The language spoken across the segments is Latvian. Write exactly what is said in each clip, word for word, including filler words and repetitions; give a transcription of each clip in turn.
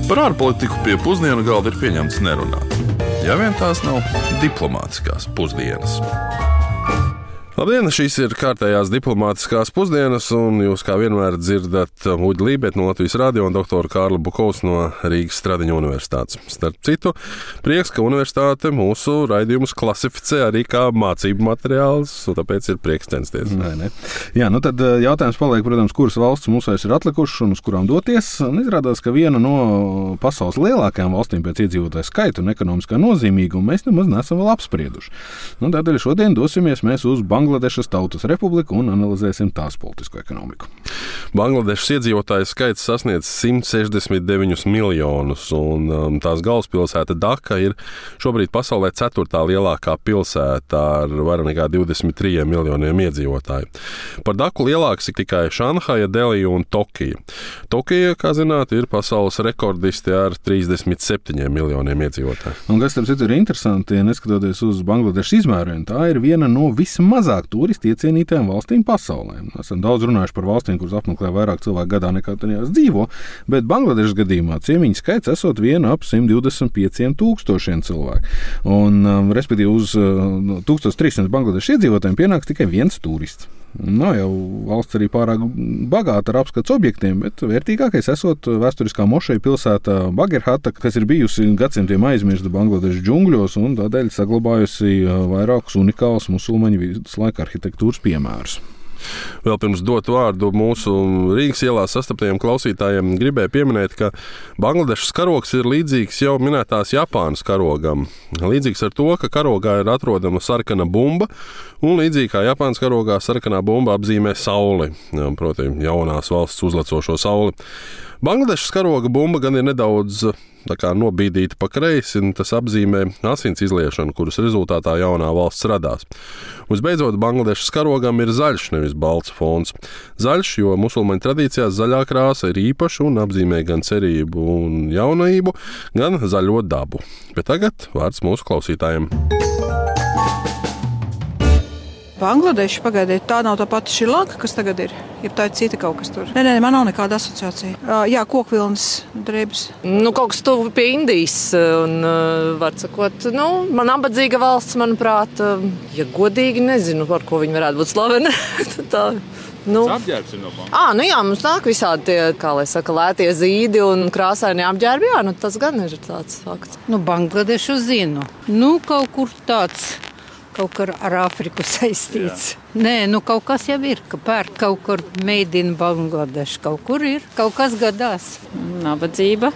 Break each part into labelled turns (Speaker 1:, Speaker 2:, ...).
Speaker 1: Par ārpolitiku pie pusdienu galda ir pieņemts nerunāt. Ja vien tās nav diplomātiskās pusdienas. Labdien, šīs ir kārtējās diplomātiskās pusdienas, un jūs kā vienmēr dzirdat Uģi Lībeti no Latvijas radio un doktoru Kārli Bukovs no Rīgas Stradiņa universitātes. Starp citu, prieks, ka universitāte mūsu raidījumus klasificē arī kā mācību materiāls, un tāpēc ir prieks censties.
Speaker 2: Nē, nē. Jā, nu tad jautājums paliek, protams, kuras valsts mums vairs ir atlikušas un uz kurām doties. Un izrādās, ka viena no pasaules lielākajām valstīm pēc iedzīvotāju skaita un ekonomiskā nozīmīguma mēs nemaz nesam vēl apsprieduši. Nu, tādēļ šodien dosimies mēs uz Bangladešas Tautas Republiku un analizēsim tās politisko ekonomiku.
Speaker 1: Bangladešas iedzīvotāju skaits sasniedz simt sešdesmit deviņus miljonus, un um, tās galvaspilsēta Daka ir šobrīd pasaulē ceturtā lielākā pilsēta ar vairāk nekā divdesmit trim miljoniem iedzīvotāju. Par Daku lielāks ir tikai Šanhaja, Delija un Tokija. Tokija, kā zināt, ir pasaules rekordisti ar trīsdesmit septiņiem miljoniem iedzīvotāju.
Speaker 2: Un kas tam citu ir interesanti, neskatoties uz Bangladešas izmēriem, tā ir viena no vismazāk turisti iecienītajām valstīm pasaulē. Esam daudz runājuši par valstīm, kuras apmeklē vairāk cilvēku gadā nekā tajās dzīvo, bet Bangladešas gadījumā ciemiņu skaits esot viena ap simt divdesmit pieciem tūkstošiem cilvēku. Un, um, respektīvi, uz uh, tūkstoš trīssimts Bangladešas iedzīvotājiem pienāks tikai viens turists. Nav jau valsts arī pārāk bagāta ar apskats objektiem, bet vērtīgākais esot vēsturiskā mošeja pilsēta Bagerhata, kas ir bijusi gadsimtiem aizmirsta Bangladešas džungļos un tādēļ saglabājusi vairākus unikālus musulmaņu viduslaika arhitektūras piemērus.
Speaker 1: Vēl pirms dot vārdu mūsu Rīgas ielā sastaptajiem klausītājiem gribēju pieminēt, ka Bangladešas karogs ir līdzīgs jau minētās Japānas karogam. Līdzīgs ar to, ka karogā ir atrodama sarkana bumba, un līdzīgi kā Japānas karogā sarkanā bumba apzīmē sauli, proti jaunās valsts uzlecošo sauli. Bangladešas karoga bumba gan ir nedaudz tā kā nobīdīta pa kreisi, un tas apzīmē asins izliešanu, kuras rezultātā jaunā valsts radās. Visbeidzot, Bangladešas karogam ir zaļš, nevis balts fons. Zaļš, jo musulmaņu tradīcijās zaļā krāsa ir īpaša un apzīmē gan cerību un jaunību, gan zaļo dabu. Bet tagad vārds mūsu klausītājiem.
Speaker 3: Bangladeša pagaidiet, tā nav tā pati Šrilanka, kas tagad ir. Ir tā cita kaut kas tur. Nē, nē, man nav nekāda asociācija. Jā, kokvilnas drēbes.
Speaker 4: Nu, kaut kas tuvu pie Indijas. Un, var sakot, nu, man nabadzīga valsts, manuprāt, ja godīgi nezinu, par ko viņi varētu būt slaveni. tā. Nu.
Speaker 5: Apģērbs ir no Bangladešas.
Speaker 4: À, nu jā, mums nāk visādi tie, kā lai saka, lētie zīdi un krāsaini apģērbi. Jā, nu tas gan ir tāds fakts.
Speaker 6: Nu, Bangladešu zinu. Nu, kaut kur tāds. Kaut kur ar Āfriku saistīts. Jā. Nē, nu kaut kas jau ir, ka pērk kaut kur made in Bangladesh. Kaut kur ir, kaut kas gadās.
Speaker 7: Nabadzība,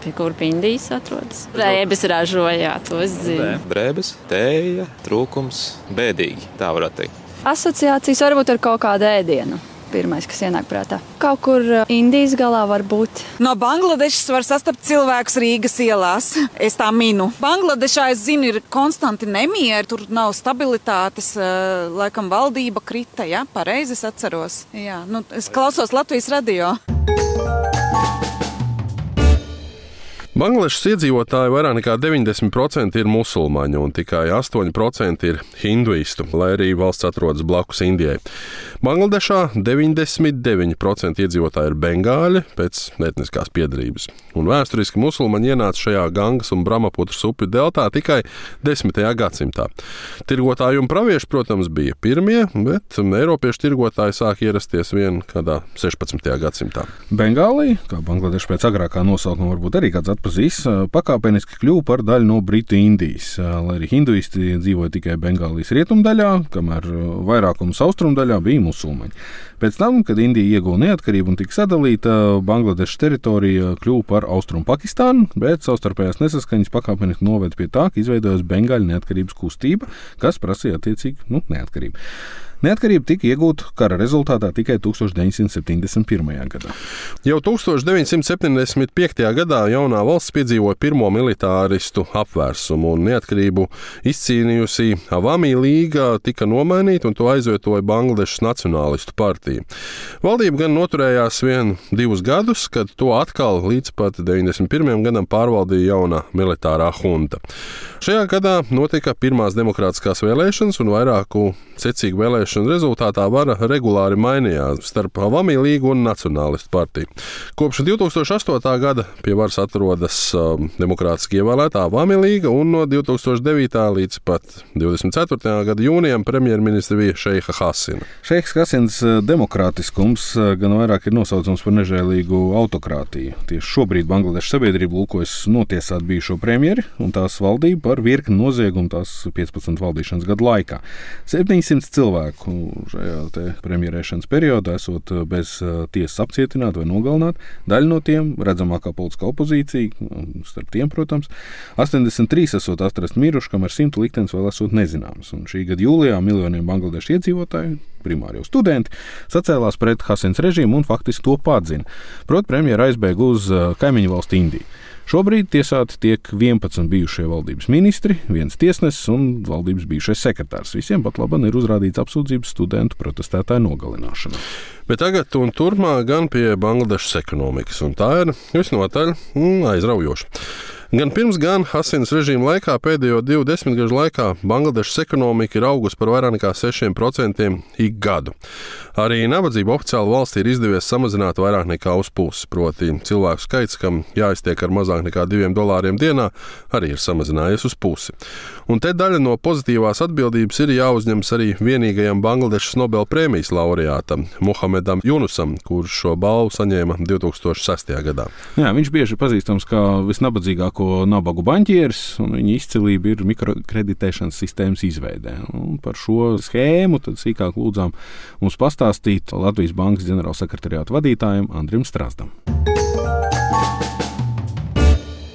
Speaker 7: pie kur pie Indijas atrodas. Drēbes ražojā, to es zinu.
Speaker 5: Drēbes, tēja, trūkums, bēdīgi, tā varētu teikt.
Speaker 8: Asociācijas varbūt ar kaut kādu ēdienu. Pirmais, kas ienāk prātā. Kaut kur Indijas galā var būt.
Speaker 3: No Bangladešas var sastapt cilvēkus Rīgas ielās. Es tā minu. Bangladešā, es zinu, ir konstanti nemieri, tur nav stabilitātes, laikam valdība krita, ja? Pareizi es atceros. Jā, nu, es klausos Latvijas radio.
Speaker 1: Bangladešas iedzīvotāji vairāk nekā deviņdesmit procenti ir musulmaņi un tikai astoņi procenti ir hinduistu, lai arī valsts atrodas blakus Indijai. Bangladešā deviņdesmit deviņi procenti iedzīvotāji ir bengāļi pēc etniskās piedarības. Un vēsturiski musulmaņi ienāca šajā Gangas un Brahmaputras upju deltā tikai desmitajā gadsimtā. Tirgotāji un pravieši, protams, bija pirmie, bet eiropiešu tirgotāji sāk ierasties vien kādā sešpadsmitajā gadsimtā.
Speaker 2: Bengālija, kā Bangladeša pēc agrākā nosaukuma varbūt arī kāds atpazīs, pakāpeniski kļuva par daļu no Britu Indijas, lai arī hinduisti dzīvoja tikai Bengālijas rietumdaļā, kamēr vairākums austrumdaļā bija musulmaņi. Pēc tam, kad Indija ieguva neatkarību un tika sadalīta, Bangladešas teritorija kļuva par Austrumu Pakistānu, bet savstarpējās nesaskaņas pakāpeniski noveda pie tā, ka izveidojās Bengāļu neatkarības kustība, kas prasīja attiecīgi nu, neatkarību. Neatkarība tika iegūta kara rezultātā tikai tūkstoš deviņsimt septiņdesmit pirmajā gadā.
Speaker 1: Jau tūkstoš deviņsimt septiņdesmit piektajā gadā jaunā valsts piedzīvoja pirmo militāristu apvērsumu un neatkarību izcīnījusi Avami līga tika nomainīta un to aizvietoja Bangladešas nacionālistu partija. Valdība gan noturējās vien divus gadus, kad to atkal līdz pat deviņdesmit pirmajam gadam pārvaldīja jaunā militārā hunta. Šajā gadā notika pirmās demokrātiskās vēlēšanas un vairāku secīgu vēlēšanu vēlēšanu rezultātā vara regulāri mainījās starp Avami līgu un Nacionālistu partiju. Kopš divtūkstoš astotā gada pie varas atrodas um, demokrātiski ievēlētā Avami līga, un no divtūkstoš devītā līdz pat divdesmit ceturtajā gada jūnijam premjerministra bija Šeiha Hasina.
Speaker 2: Šeiks Hasins demokrātiskums gan vairāk ir nosaucams par nežēlīgu autokrātiju. Tieši šobrīd Bangladešas sabiedrība lūkojas notiesāt bijušo premjeri un tās valdību par virkni noziegumu tās piecpadsmit valdīšanas gadu laikā. septiņsimt cilvēku šajā te premjerēšanas periodā esot bez tiesas apcietināti vai nogalināti. Daļa no tiem redzamākā politiskā opozīcija, starp tiem, protams, astoņdesmit trīs esot atrast miruši, kamēr simtu liktenis vēl esot nezināms. Un šī gada jūlijā miljoniem Bangladešas iedzīvotāju, primāri jau studenti, sacēlās pret Hasins režīmu un faktiski to padzina. Proti, premjera aizbēga uz kaimiņu valsti Indiju. Šobrīd tiesāti tiek vienpadsmit bijušie valdības ministri, viens tiesnesis un valdības bijušais sekretārs. Visiem pat labi ir uzrādīts apsūdzības studentu protestētāju nogalināšanā.
Speaker 1: Bet tagad un turpmāk gan pie Bangladešas ekonomikas, un tā ir visnotaļ aizraujoša. Gan pirms, gan Hasinas režīma laikā pēdējo divu desmitgažu laikā Bangladešas ekonomika ir augusi par vairāk nekā sešiem procentiem ik gadu. Arī nabadzība oficiāli valstī ir izdevies samazināt vairāk nekā uz pusi, proti cilvēku skaits, kam jāiztiek ar mazāk nekā diviem dolāriem dienā, arī ir samazinājies uz pusi. Un te daļa no pozitīvās atbildības ir jāuzņems arī vienīgajam Bangladešas Nobel prēmijas laureātam Muhamedam Junusam, kurš šo balvu saņēma divtūkstoš sestajā gadā.
Speaker 2: Jā, viņš bieži pazīstams kā visnabadzīgāko nabagu baņķieris, un viņa izcilība ir mikrokreditēšanas sistēmas izveidē. Un par šo schēmu tad sīkāk lūdzām mums pastāstīt Latvijas Bankas ģenerālsekretariāta vadītājam Andrim Strazdam.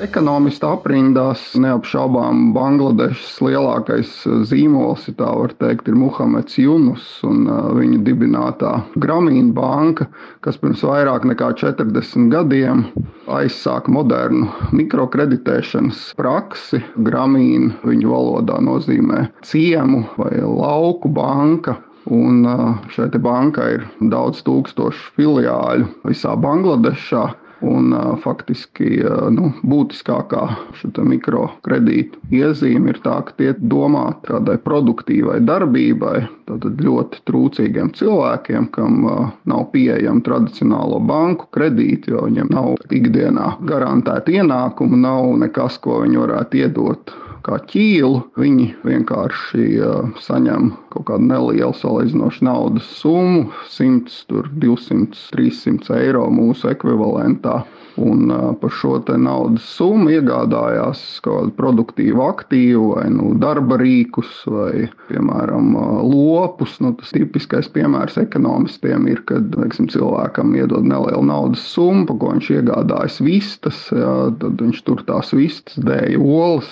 Speaker 9: Ekonomistu aprindās neapšaubām Bangladešas lielākais zīmols, ja tā var teikt, ir Muhameds Junus un viņa dibinātā Grameen banka, kas pirms vairāk nekā četrdesmit gadiem aizsāka modernu mikrokreditēšanas praksi. Grameen viņu valodā nozīmē ciemu vai lauku banka. Un šai te bankai ir daudz tūkstošu filiāļu visā Bangladešā. Un uh, faktiski uh, nu, būtiskākā šita mikrokredītu iezīme ir tā, ka tie domāti kādai produktīvai darbībai, tātad ļoti trūcīgiem cilvēkiem, kam uh, nav pieejama tradicionālo banku kredīti, jo viņiem nav ikdienā garantēta ienākuma, nav nekas, ko viņi varētu iedot kā ķīlu. Viņi vienkārši uh, saņem kaut kādu nelielu salīdzinošu naudas summu, simts, divsimt, trīssimt eiro mūsu ekvivalentā. Un uh, par šo te naudas summu iegādājās kādu produktīvu aktīvu vai nu, darba rīkus vai, piemēram, uh, lopus. Nu, tas tipiskais piemērs ekonomistiem ir, kad teiksim, cilvēkam iedod nelielu naudas summu, pa ko viņš iegādājas vistas, jā, tad viņš tur tās vistas dēja olas.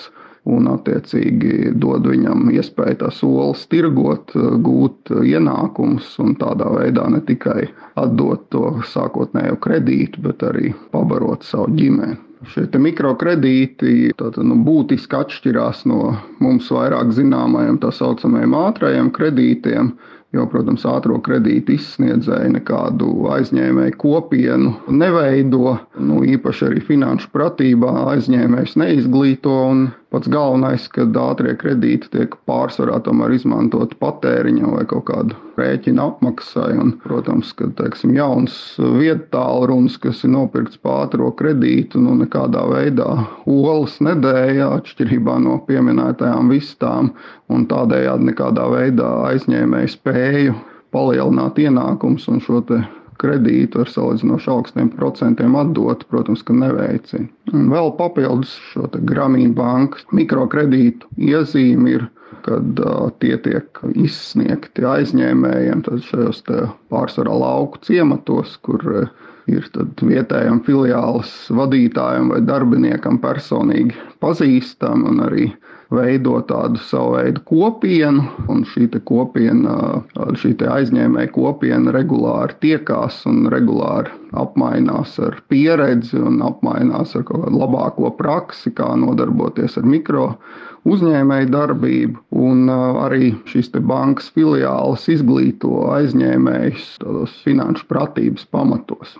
Speaker 9: Un, attiecīgi, dod viņam iespēju tās olas tirgot, gūt ienākumus un tādā veidā ne tikai atdot to sākotnējo kredītu, bet arī pabarot savu ģimeni. Šie te mikrokredīti tātad, nu, būtiski atšķirās no mums vairāk zināmajiem tā saucamajiem ātrajiem kredītiem, jo, protams, ātro kredītu izsniedzēji nekādu aizņēmēju kopienu neveido, nu, īpaši arī finanšu pratībā aizņēmējs neizglīto, un pats galvenais, kad ātrie kredīti tiek pārsvarā tomēr izmantot patēriņam vai kaut kādu rēķinu apmaksai, un, protams, kad, teiksim, jauns viedtālrunis, kas ir nopirkts pa ātro kredītu, nu, nekādā veidā olas nedēja, atšķirībā no pieminētajām vistām, un tādējādi nekādā veidā aizņēmēju spēju palielināt ienākums un šo te kredītu ar salīdzinoši augstiem procentiem atdot, protams, ka neveicina. Un vēl papildus šo te Grameen bankas mikrokredītu iezīmi ir, kad uh, tie tiek izsniegti aizņēmējiem, tad šajos te pārsvarā lauku ciematos, kur uh, ir tad vietējam filiāles vadītājam vai darbiniekam personīgi pazīstam un arī veido tādu savu veidu kopienu, un šī te kopiena, šī te aizņēmēja kopiena regulāri tiekās un regulāri apmainās ar pieredzi un apmainās ar kaut kādu labāko praksi, kā nodarboties ar mikro uzņēmēju darbību, un arī šīs te bankas filiāles izglīto aizņēmējus tādos finanšu pratības pamatos.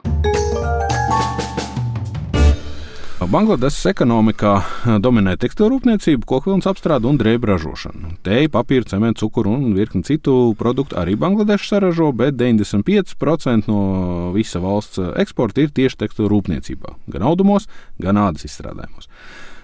Speaker 2: Bangladešas ekonomikā dominē tekstilrūpniecība, kokvilnas apstrāde un drēbju ražošana. Teju, papīru, cementu, cukuru un virkni citu produktu arī Bangladeša saražo, bet deviņdesmit pieci procenti no visa valsts eksporta ir tieši tekstilrūpniecībā, gan audumos, gan ādas izstrādājumos.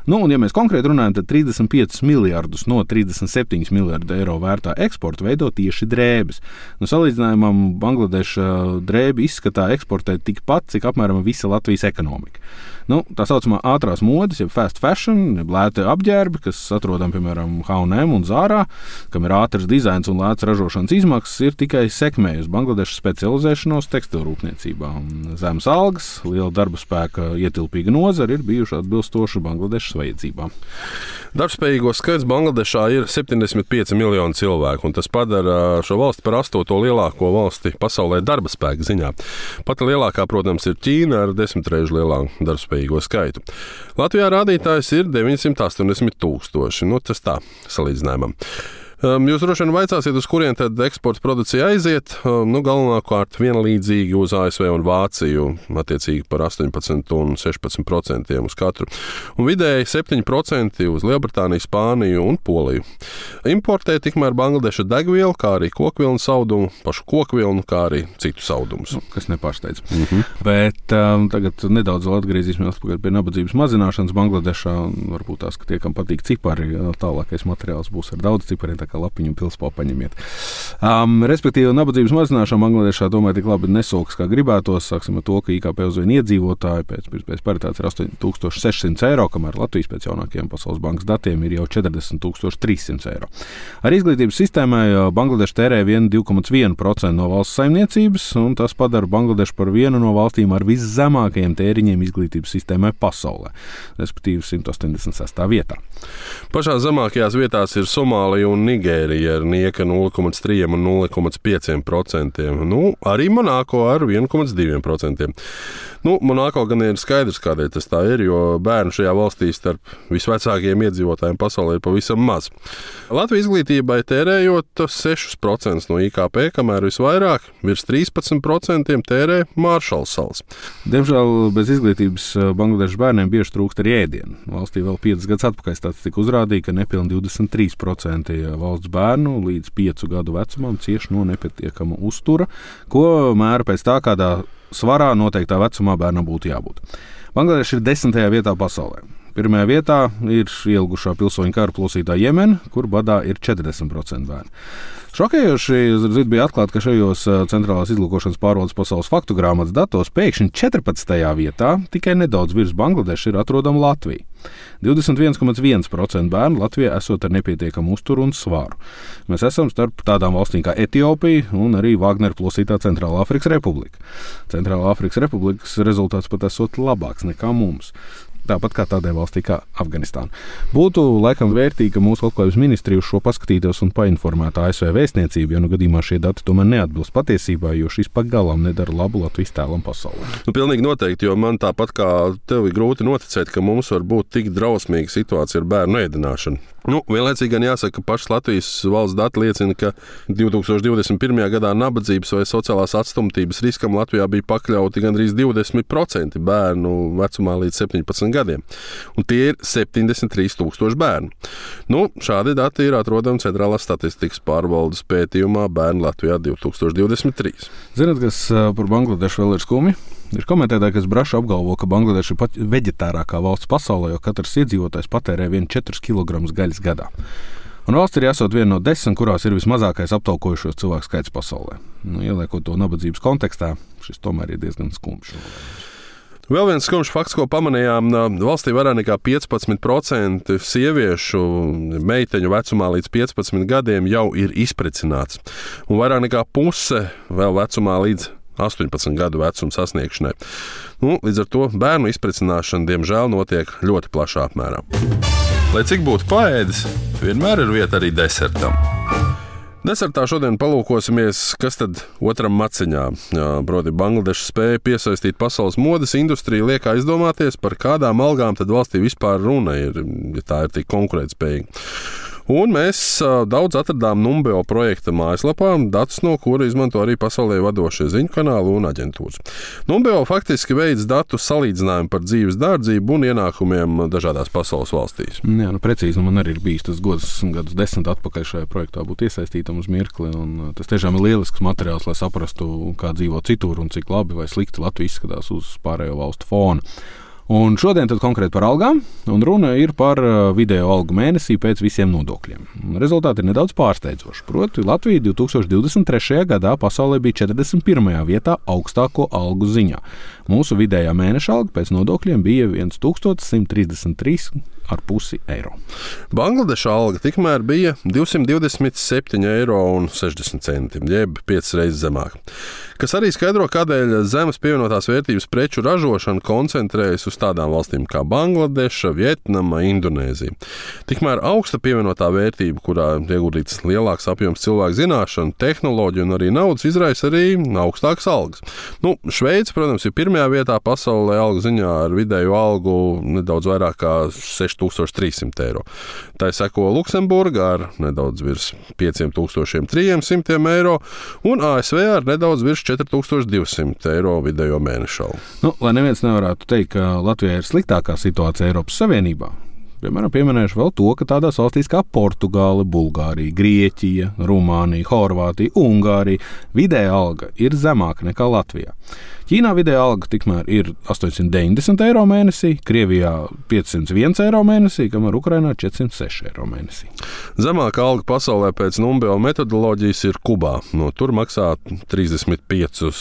Speaker 2: Nu, un, ja mēs konkrēti runājam, tad trīsdesmit piecus miljardus no trīsdesmit septiņu miljardu eiro vērtā eksporta veido tieši drēbes. Nu, salīdzinājumam Bangladeša drēbi izskatā eksportē tikpat, cik apmēram visa Latvijas ekonomika. Nu, tā saucamā ātrās modes, jeb fast fashion, jeb lēti apģērbi, kas atrodam, piemēram, H and M un Zārā, kam ir ātrs dizains un lēts ražošanas izmaksas, ir tikai sekmējusi Bangladešas specializēšanos tekstilrūpniecībā. Zemes algas, liela darba spēka ietilpīga nozara ir bijuši atbilstoši Bangladešas vajadzībām.
Speaker 1: Darbspējīgo skaits Bangladešā ir septiņdesmit pieci miljoni cilvēku, un tas padara šo valsti par astoto lielāko valsti pasaulē darba spēka ziņā. Pati lielākā, protams, ir Ķīna ar desmit reižu lielāku darbspējīgo skaitu. Latvijā rādītājs ir deviņsimt astoņdesmit tūkstoši. Nu, tas tā salīdzinājumam. Jūs droši vien vaicāsiet, uz kurien tad eksporta produkcija aiziet. Nu, galvenokārt vienlīdzīgi uz A S V un Vāciju, attiecīgi par astoņpadsmit un sešpadsmit procentiem uz katru. Un vidēji septiņi procenti uz Lielbritāniju, Spāniju un Poliju. Importē tikmēr Bangladeša degvielu, kā arī kokvilnu saudumu, pašu kokvilnu, kā arī citus saudumus.
Speaker 2: Nu, kas nepārsteidz. Mm-hmm. Bet um, tagad nedaudz atgriezīsimies pie nabadzības mazināšanas Bangladešā. Varbūt tās, ka tie, kam patīk cipari, tālākais materiāls būs ar daudz cipariem, kā lapiņu pilspā paņemiet. Um, respektīvi, nabadzības mazināšana Bangladešā tomēr tik labi nesokas, kā gribētos. Sāksim ar to, ka I K P uz vienu iedzīvotāju pēc, pēc paritātes ir astoņi tūkstoši sešsimt eiro, kamēr Latvijas pēc jaunākajiem Pasaules bankas datiem ir jau četrdesmit tūkstoši trīs simti eiro. Ar izglītības sistēmai Bangladeša tērē vien divi komats viens procenti no valsts saimniecības, un tas padara Bangladešu par vienu no valstīm ar viszemākajiem tēriņiem izglītības sistēmai pasaulē, respektīvi simt astoņdesmit sestā vietā.
Speaker 1: Pašā zemākajās vietās ir Somālija un Nigērija ar nieka nulle komats trīs un nulle komats pieci procenti. Nu, arī Monako ar viens komats divi procenti. Nu, Monako gan ir skaidrs, kādēļ tas tā ir, jo bērnu šajā valstī starp visvecākajiem iedzīvotājiem pasaulē ir pavisam maz. Latvijas izglītībai tērējot sešus procentus no I K P, kamēr visvairāk, virs trīspadsmit procenti tērē Maršalu salas.
Speaker 2: Diemžēl bez izglītības Bangladešas bērniem bieži trūkst arī ēdienu. Valstī vēl piecus gadus atpakaļ statistika uzrādīja, ka nepilni divdesmit trīs procenti valsts bērnu līdz piecu gadu vecumam cieš no nepietiekama uztura, ko mēra pēc tā, kādā svarā noteiktā vecumā bērnam būtu jābūt. Bangladeša ir desmitajā vietā pasaulē. Pirmajā vietā ir ielgušā pilsoņu kara plosītā Jemena, kur badā ir četrdesmit procenti bērnu. Šokējoši bija atklāt, ka šajos centrālās izlūkošanas pārvaldes pasaules faktu grāmatas datos pēkšņi četrpadsmitajā vietā tikai nedaudz virs Bangladešas ir atrodama Latvija. divdesmit viens komats viens procents bērnu Latvijā esot ar nepietiekamu uzturu un svāru. Mēs esam starp tādām valstīm kā Etiopija un arī Vāgnera plosītā Centrālā Afrikas Republika. Centrālā Afrikas Republikas rezultāts pat esot labāks nekā mums. Tāpat kā tādai valstī kā Afganistāna. Būtu laikam vērtīgi, ka mūsu labklājības ministrija uz šo paskatītos un painformētu A S V vēstniecību, jo nu gadījumā šie dati tomēr neatbilst patiesībā, jo šis pagalām nedara labu Latvijas tēlam pasaulē.
Speaker 1: Nu, pilnīgi noteikti, jo man tāpat kā tev ir grūti noticēt, ka mums var būt tik drausmīga situācija ar bērnu ēdināšanu. Nu, vienlaicīgi gan jāsaka, ka pašas Latvijas valsts dati liecina, ka divi tūkstoši divdesmit pirmajā gadā nabadzības vai sociālās atstumtības riskam Latvijā bija pakļauti gandrīz divdesmit procenti bērnu vecumā līdz septiņpadsmit gadiem. Un tie ir septiņdesmit trīs tūkstoši bērnu. Nu, šādi dati ir atrodami Centrālās statistikas pārvaldes pētījumā Bērni Latvijā divi tūkstoši divdesmit trīs.
Speaker 2: Zināt, kas par Bangladešu vēl ir skumji? Ir komentētāji, kas braši apgalvo, ka Bangladeša ir pat veģetārākā valsts pasaulē, jo katrs iedzīvotājs patērē vien četrus kilogramus gaļas gadā. Un valsts ir jāsot viena no desmit, kurās ir vismazākais aptaukojušos cilvēku skaits pasaulē. Nu, ieliekot to nabadzības kontekstā, šis tomēr ir diezgan skumjš.
Speaker 1: Vēl viens skumjš fakts, ko pamanījām, valstī vairāk nekā piecpadsmit procenti sieviešu meiteņu vecumā līdz piecpadsmit gadiem jau ir izprecināts. Un vairāk nekā puse vēl vecumā līdz astoņpadsmit gadu vecuma sasniegšanai. Nu, līdz ar to bērnu izprecināšana, diemžēl, notiek ļoti plašā apmērā. Lai cik būtu paēdis, vienmēr ir vieta arī desertam. Desertā šodien palūkosimies, kas tad otram maciņā. Proti, Bangladeša spēja piesaistīt pasaules modes industriju, liek aizdomāties, par kādām algām tad valstī vispār runa ir, ja tā ir tik konkurētspējīga. Un mēs daudz atradām Numbeo projekta mājaslapā, datus no kura izmanto arī pasaulē vadošie ziņu kanāli un aģentūras. Numbeo faktiski veids datu salīdzinājumu par dzīves dārdzību un ienākumiem dažādās pasaules valstīs.
Speaker 2: Jā, nu precīzi, nu man arī ir bijis tas gods gadus desmit atpakaļ šajā projektā būt iesaistītam uz mirkli, un tas tiešām ir lielisks materiāls, lai saprastu, kā dzīvo citur un cik labi vai slikti Latvija izskatās uz pārējo valstu fona. Un šodien tad konkrēti par algām, un runa ir par video algu mēnesī pēc visiem nodokļiem. Rezultāti ir nedaudz pārsteidzoši. Proti, Latvija divi tūkstoši divdesmit trešajā gadā pasaulē bija četrdesmit pirmajā vietā augstāko algu ziņā. Mūsu vidējā mēneša alga pēc nodokļiem bija tūkstoš simt trīsdesmit trīs ar pusi eiro.
Speaker 1: Bangladeša alga tikmēr bija divsimt divdesmit septiņi eiro un sešdesmit centi, jeb piecas reizes zemāk. Kas arī skaidro, kādēļ zemes pievienotās vērtības preču ražošana koncentrējas uz tādām valstīm kā Bangladeša, Vietnama, Indonēzija. Tikmēr augsta pievienotā vērtība, kurā ieguldīts lielāks apjoms cilvēku zināšanu, tehnoloģiju un arī naudas, izraisa arī augstākas algas. Nu, Šveice, protams, ir pirmajā vietā pasaulē algu ziņā ar vidēju algu nedaudz vairāk kā seši tūkstoši trīs simti eiro. Tā seko Luksemburga ar nedaudz virs pieci tūkstoši trīs simti eiro un A S V ar nedaudz virs četri tūkstoši divi simti eiro vidējo mēnešu algu.
Speaker 2: Nu, lai neviens nevarētu teikt, ka Latvijā ir sliktākā situācija Eiropas Savienībā. Piemēram, pieminēšu vēl to, ka tādās valstīs kā Portugāle, Bulgārija, Grieķija, Rumānija, Horvātija, Ungārija vidēja alga ir zemāka nekā Latvijā. Ķīnā vidēja alga tikmēr ir astoņsimt deviņdesmit eiro mēnesī, Krievijā piecsimt viens eiro mēnesī, kamēr Ukrainā četrsimt seši eiro mēnesī.
Speaker 1: Zemākā alga pasaulē pēc Numbeo metodoloģijas ir Kubā. No tur maksā trīsdesmit pieci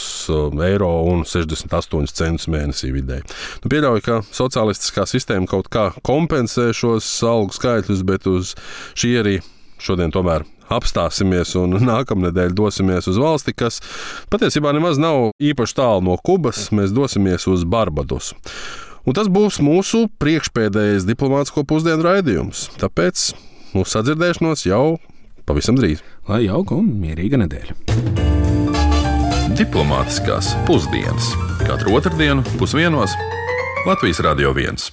Speaker 1: eiro un sešdesmit astoņi centi mēnesī vidēji. Nu, pieļauju, ka sociālistiskā sistēma kaut kā kompensē šos algu skaitļus, bet uz šī arī šodien tomēr apstāsimies un nākamnedēļ dosimies uz valsti, kas patiesībā nemaz nav īpaši tālu no Kubas. Mēs dosimies uz Barbadosu. Un tas būs mūsu priekšpēdējais diplomātisko pusdienu raidījums. Tāpēc mūsu sadzirdēšanos jau pavisam drīz.
Speaker 2: Lai jauka un mierīga nedēļa.
Speaker 10: Diplomātiskās pusdienas. Katru otrdienu pusdienos Latvijas Radio viens.